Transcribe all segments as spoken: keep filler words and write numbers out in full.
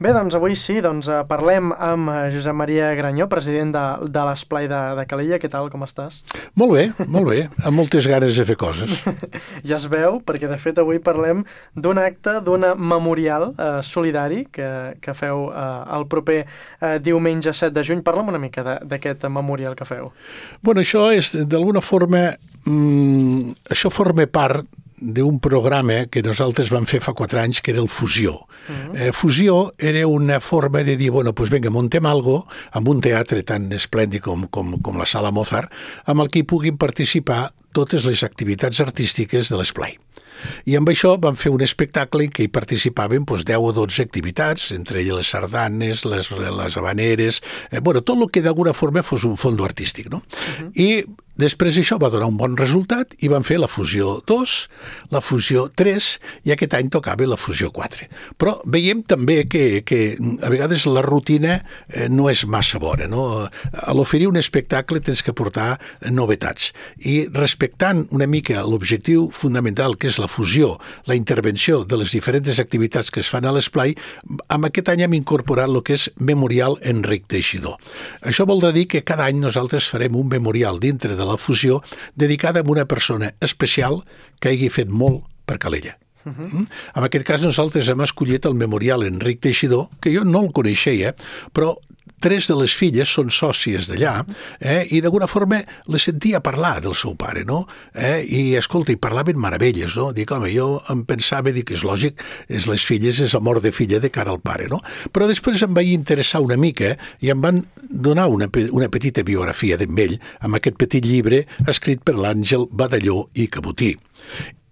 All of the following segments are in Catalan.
Bé, doncs avui sí, doncs parlem amb Josep Maria Granyó, president de, de l'Esplai de, de Calella. Què tal, com estàs? Molt bé, molt bé, amb moltes ganes de fer coses. Ja es veu, perquè de fet avui parlem d'un acte, d'una memorial eh, solidari que, que feu eh, el proper eh, diumenge set de juny. Parla'm una mica d'aquest memorial que feu. Bueno, això és, d'alguna forma, mmm, això forma part d'un programa que nosaltres vam fer fa quatre anys, que era el Fusió. Uh-huh. eh, Fusió era una forma de dir, bueno, doncs vinga, muntem algo amb un teatre tan esplèndid com, com, com la Sala Mozart, amb el que hi puguin participar totes les activitats artístiques de l'Esplai. I amb això vam fer un espectacle en què hi participaven doncs, deu o dotze activitats, entre elles les sardanes, les, les habaneres, eh, bueno, tot el que d'alguna forma fos un fondo artístic, no? Uh-huh. I després això va donar un bon resultat i van fer la Fusió dos, la Fusió tres i aquest any tocava la Fusió quatre. Però veiem també que, que a vegades la rutina eh, no és massa bona, no? A l'oferir un espectacle tens que portar novetats. I respectant una mica l'objectiu fundamental que és la fusió, la intervenció de les diferents activitats que es fan a l'Esplai, amb aquest any hem incorporat el que és Memorial Enric Teixidor. Això voldrà dir que cada any nosaltres farem un memorial dintre de la fusió dedicada a una persona especial que hagi fet molt per Calella. Uh-huh. En aquest cas nosaltres hem escollit el Memorial Enric Teixidor, que jo no el coneixia, però tres de les filles són sòcies d'allà, eh, i d'alguna forma les sentia parlar del seu pare, no? Eh, I, escolta, hi parlaven meravelles, no? Dic, home, jo em pensava, dic, és lògic, és les filles, és amor de filla de cara al pare, no? Però després em vaig interessar una mica i em van donar una, una petita biografia d'ell amb aquest petit llibre escrit per l'Àngel Badalló i Cabotí.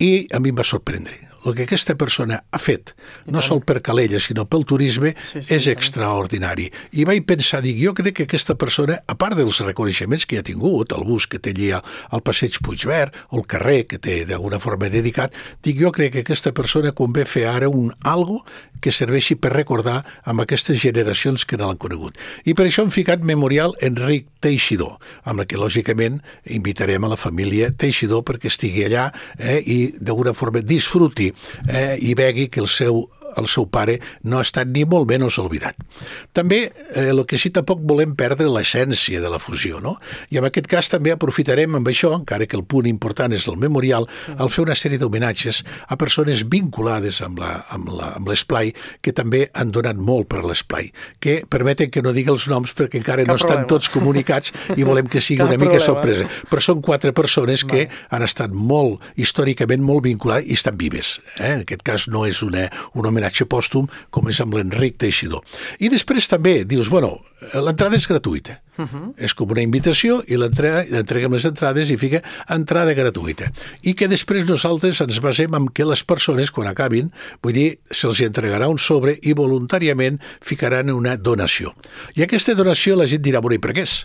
I a mi em va sorprendre. El que aquesta persona ha fet, no sol per Calella, sinó pel turisme, sí, sí, és extraordinari. I vaig pensar, dic, jo crec que aquesta persona, a part dels reconeixements que ha tingut, el bus que té allà al passeig Puigverd, o el carrer que té d'alguna forma dedicat, dic, jo crec que aquesta persona convé fer ara un algo que serveixi per recordar amb aquestes generacions que no l'han conegut. I per això hem ficat Memorial Enric Teixidor, amb la que, lògicament, invitarem a la família Teixidor perquè estigui allà eh, i d'alguna forma disfruti eh, i vegi que el seu el seu pare no ha estat ni molt menys oblidat. També, eh, el que sí tampoc volem perdre l'essència de la fusió, no? I en aquest cas també aprofitarem amb això, encara que el punt important és el memorial, al fer una sèrie d'homenatges a persones vinculades amb la, amb la, amb l'Esplai, que també han donat molt per l'Esplai, que permeten que no digui els noms perquè encara Cap no estan problema. Tots comunicats i volem que sigui Cap una mica problema. Sorpresa. Però són quatre persones que Va. Han estat molt, històricament, molt vinculades i estan vives. Eh? En aquest cas no és una, un homenatge pòstum com és amb l'Enric Teixidor. I després també dius, bueno, l'entrada és gratuïta. Uh-huh. És com una invitació i l'entreguem les entrades i fica entrada gratuïta. I que després nosaltres ens basem en que les persones, quan acabin, vull dir, se'ls entregarà un sobre i voluntàriament ficaran una donació. I aquesta donació la gent dirà, bueno, i per què és?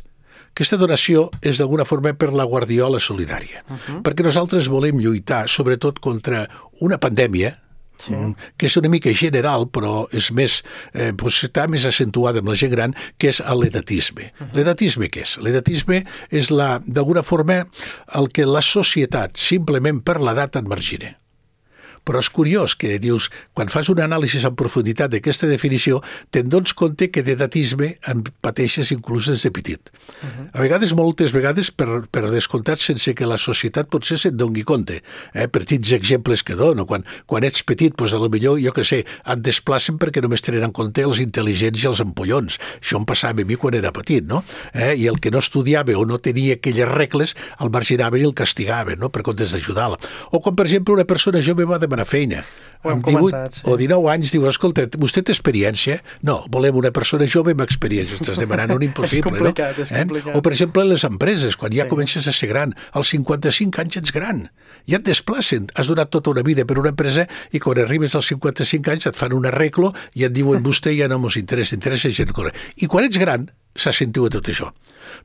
Aquesta donació és d'alguna forma per la Guardiola Solidària, uh-huh. perquè nosaltres volem lluitar sobretot contra una pandèmia, sí. que és una mica general, però és més, eh, doncs està més accentuada amb la gent gran, que és l'edatisme. Uh-huh. L'edatisme què és? L'edatisme és, la, d'alguna forma, el que la societat, simplement per l'edat, et margina. Però és curiós que dius, quan fas un anàlisi en profunditat d'aquesta definició, te'n dones compte que d'edatisme en pateixes inclús des de petit. Uh-huh. A vegades, moltes vegades, per, per descomptat, sense que la societat potser se'n doni compte. Eh? Petits exemples que dono. Quan, quan ets petit, doncs, a lo millor, jo què sé, et desplacen perquè només tenen en compte els intel·ligents i els empollons. Això em passava a mi quan era petit, no? Eh? I el que no estudiava o no tenia aquelles regles, el marginaven i el castigaven, no? Per comptes d'ajudar-la. O quan, per exemple, una persona jove va demanar feina. Amb divuit sí. o dinou anys diu, escolta, vostè té experiència? No, volem una persona jove amb experiència. Estàs demanant un impossible, és complicat, no? És complicat. Eh? O, per exemple, les empreses, quan ja sí. comences a ser gran, als cinquanta-cinc anys ets gran. Ja et desplacen. Has donat tota una vida per una empresa i quan arribes als cinquanta-cinc anys et fan un arreglo i et diuen, vostè ja no mos interessa, interessa gent corre. I quan ets gran, s'accentua tot això.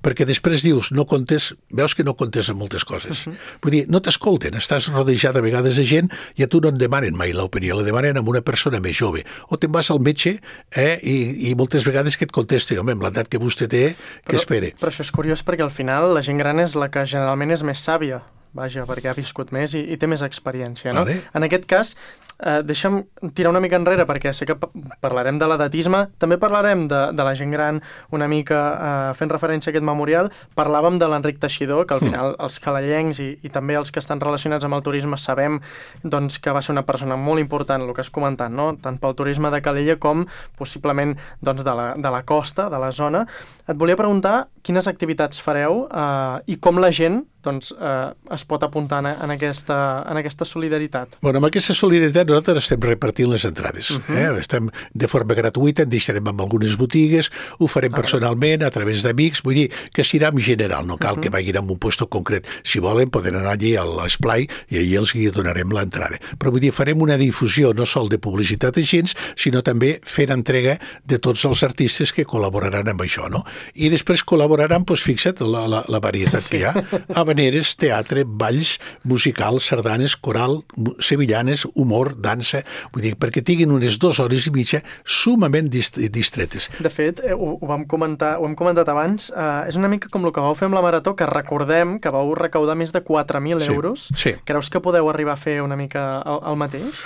Perquè després dius, no comptes, veus que no comptes en moltes coses. Uh-huh. Vull dir, no t'escolten, estàs rodejat a vegades de gent i a tu no et demanen mai l'opinió, la demanen amb una persona més jove. O te'n vas al metge eh, i, i moltes vegades que et contesti, home, amb l'edat que vostè té, que però, espere. Però això és curiós perquè al final la gent gran és la que generalment és més sàvia. Vaja, perquè ha viscut més i, i té més experiència, no? Vale. En aquest cas, eh, deixa'm tirar una mica enrere, perquè sé que parlarem de l'edatisme, també parlarem de, de la gent gran, una mica eh, fent referència a aquest memorial. Parlàvem de l'Enric Teixidor, que al final els calellencs i, i també els que estan relacionats amb el turisme sabem doncs, que va ser una persona molt important, el que has comentat, no? Tant pel turisme de Calella com possiblement doncs, de, la, de la costa, de la zona. Et volia preguntar quines activitats fareu eh, i com la gent doncs, eh, es pot apuntar en, en, aquesta, en aquesta solidaritat. Bueno, amb aquesta solidaritat nosaltres estem repartint les entrades. Uh -huh. eh? Estem de forma gratuïta, en deixarem amb algunes botigues, ho farem ah, personalment, a través d'amics, vull dir que serà en general, no cal uh -huh. que vagin a un puesto concret. Si volen, poden anar allí a l'esplai i allí els hi donarem l'entrada. Però vull dir, farem una difusió no sol de publicitat a gens, sinó també fent entrega de tots els artistes que col·laboraran amb això, no? I després col·laboraran, doncs fixa't, la, la, la varietat sí. que hi ha, habaneres, teatre, balls, musicals, sardanes, coral, sevillanes, humor, dansa, vull dir, perquè tinguin unes dues hores i mitja sumament dist distretes. De fet, eh, ho, ho vam comentar, ho hem comentat abans, eh, és una mica com el que vau fer amb la Marató, que recordem que vau recaudar més de quatre mil sí, euros. Sí. Creus que podeu arribar a fer una mica el, el mateix?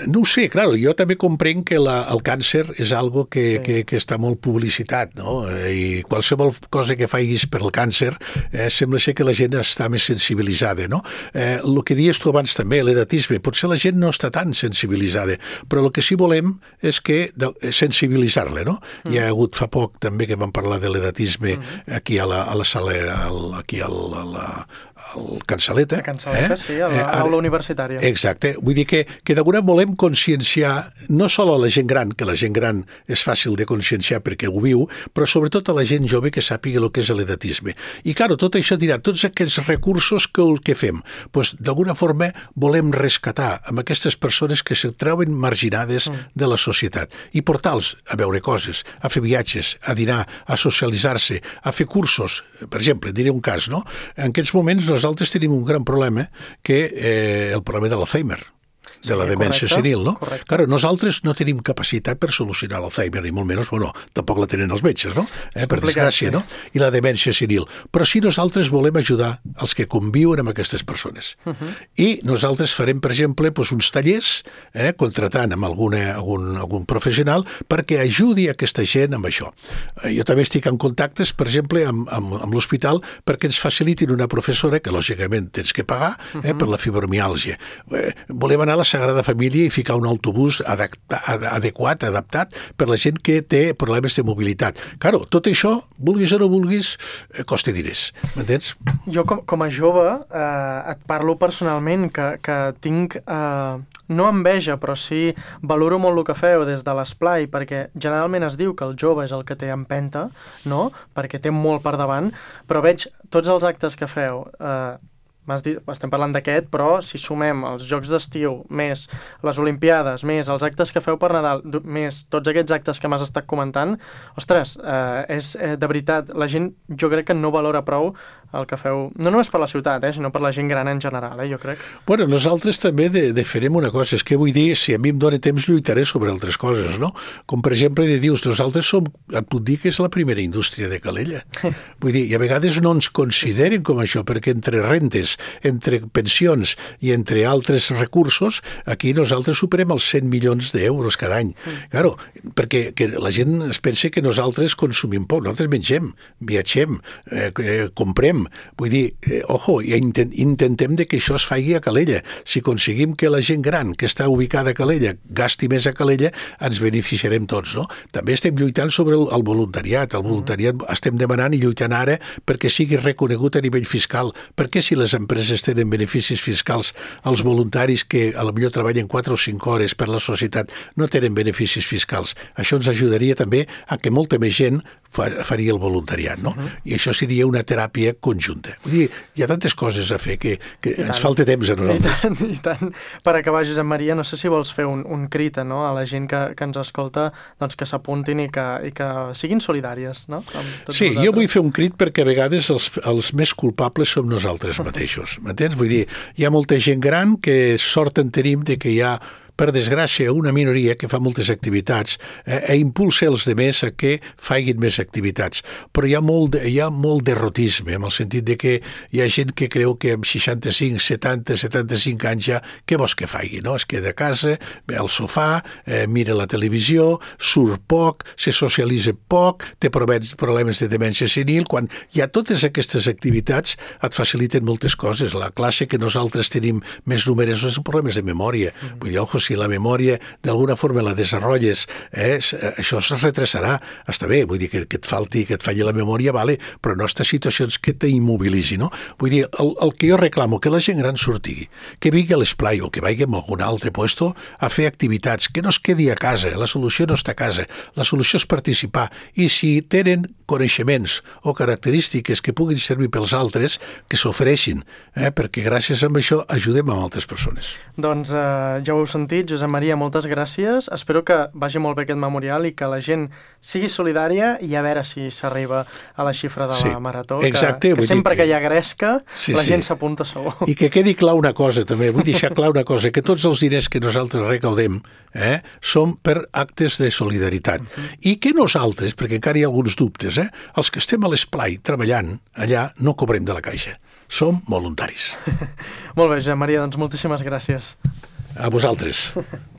No ho sé, claro, jo també comprenc que la, el càncer és algo que, sí. que, que està molt publicitat, no? I qualsevol cosa que facis per el càncer eh, sembla ser que la gent està més sensibilitzada, no? Eh, el que dius tu abans també, l'edatisme, potser la gent no està tan sensibilitzada, però el que sí volem és que sensibilitzar-la, no? Mm. Hi ha hagut fa poc també que vam parlar de l'edatisme mm. aquí a la, a la sala, al, aquí a la, a la el Cansaleta. A Cansaleta, eh? sí, a l'aula eh, universitària. Exacte. Vull dir que, que d'alguna volem conscienciar no sol a la gent gran, que la gent gran és fàcil de conscienciar perquè ho viu, però sobretot a la gent jove que sàpiga el que és l'edatisme. I, clar, tot això dirà, tots aquests recursos que, que fem, doncs, d'alguna forma volem rescatar amb aquestes persones que se troben marginades mm. de la societat i portar-los a veure coses, a fer viatges, a dinar, a socialitzar-se, a fer cursos. Per exemple, diré un cas, no? En aquests moments nosaltres tenim un gran problema, que eh, el problema de l'Alzheimer, de la sí, demència correcte, senil, no? Correcte. Claro, nosaltres no tenim capacitat per solucionar l'Alzheimer, ni molt menys, bueno, tampoc la tenen els metges, no? Eh, per desgràcia, sí. no? I la demència senil. Però sí nosaltres volem ajudar els que conviuen amb aquestes persones. Uh -huh. I nosaltres farem, per exemple, doncs, uns tallers, eh, contratant amb alguna, algun, algun professional, perquè ajudi aquesta gent amb això. Eh, jo també estic en contactes, per exemple, amb, amb, amb l'hospital, perquè ens facilitin una professora, que lògicament tens que pagar, eh, uh -huh. per la fibromiàlgia. Eh, volem anar a la Sagrada Família i ficar un autobús adapta, adequat, adaptat per la gent que té problemes de mobilitat. Claro, tot això, vulguis o no vulguis, costa diners, m'entens? Jo com, com a jove eh, et parlo personalment que, que tinc... Eh, no enveja, però sí valoro molt el que feu des de l'esplai, perquè generalment es diu que el jove és el que té empenta, no? Perquè té molt per davant, però veig tots els actes que feu... Eh, M'has dit, estem parlant d'aquest, però si sumem els Jocs d'Estiu, més les Olimpiades, més els actes que feu per Nadal, més tots aquests actes que m'has estat comentant, ostres, eh, és eh, de veritat, la gent jo crec que no valora prou el que feu, no només per la ciutat, eh, sinó per la gent gran en general, eh, jo crec. Bueno, nosaltres també de, de farem una cosa, és que vull dir, si a mi em dóna temps lluitaré sobre altres coses, no? Com per exemple, de dius, nosaltres som, et puc dir que és la primera indústria de Calella. Vull dir, i a vegades no ens consideren com això, perquè entre rentes, entre pensions i entre altres recursos, aquí nosaltres superem els cent milions d'euros cada any. Mm. Claro, perquè que la gent es pensa que nosaltres consumim poc, nosaltres mengem, viatgem, eh, eh, comprem. Vull dir, eh, ojo, i intent, intentem de que això es faci a Calella. Si aconseguim que la gent gran que està ubicada a Calella gasti més a Calella, ens beneficiarem tots, no? També estem lluitant sobre el, el voluntariat. El voluntariat mm. estem demanant i lluitant ara perquè sigui reconegut a nivell fiscal. Perquè si les empreses tenen beneficis fiscals, els voluntaris que a lo millor treballen quatre o cinc hores per la societat no tenen beneficis fiscals. Això ens ajudaria també a que molta més gent faria el voluntariat, no? Uh-huh. I això seria una teràpia conjunta. Vull dir, hi ha tantes coses a fer que, que ens falta temps a nosaltres. I tant, i tant. Per acabar, Josep Maria, no sé si vols fer un, un crit, no?, a la gent que, que ens escolta, doncs que s'apuntin i, que, i que siguin solidàries, no? Sí, nosaltres. Jo vull fer un crit perquè a vegades els, els més culpables som nosaltres mateixos, m'entens? Vull dir, hi ha molta gent gran que sort en tenim de que hi ha per desgràcia, una minoria que fa moltes activitats eh, i impulsa els demés a que facin més activitats. Però hi ha molt, de, hi ha molt derrotisme, en el sentit de que hi ha gent que creu que amb seixanta-cinc, setanta, setanta-cinc anys ja, què vols que faci, no? Es queda a casa, ve al sofà, eh, mira la televisió, surt poc, se socialitza poc, té problemes de demència senil. Quan hi ha totes aquestes activitats et faciliten moltes coses. La classe que nosaltres tenim més numerosos són problemes de memòria. Mm. Vull dir, ojo, si la memòria d'alguna forma la desenvolupes, eh, això es retrasarà. Està bé, vull dir que, que et falti, que et falli la memòria, vale, però no estas situacions que t'immobilitzi, no? Vull dir, el, el que jo reclamo, que la gent gran surti, que vingui a l'esplai o que vagi a algun altre puesto a fer activitats, que no es quedi a casa. La solució no està a casa, la solució és participar. I si tenen coneixements o característiques que puguin servir pels altres, que s'ofereixin, eh? Perquè gràcies a això ajudem a altres persones. Doncs eh, ja ho heu sentit, Josep Maria, moltes gràcies. Espero que vagi molt bé aquest memorial i que la gent sigui solidària i a veure si s'arriba a la xifra de la sí, marató, exacte, que, que sempre que... que hi ha gresca sí, la sí. gent s'apunta segur. I que quedi clar una cosa també, vull deixar clar una cosa, que tots els diners que nosaltres recaudem eh, són per actes de solidaritat. Uh-huh. I que nosaltres, perquè encara hi ha alguns dubtes, eh, els que estem a l'esplai treballant allà no cobrem de la caixa. Som voluntaris. Molt bé, Josep Maria, doncs moltíssimes gràcies. A vosaltres.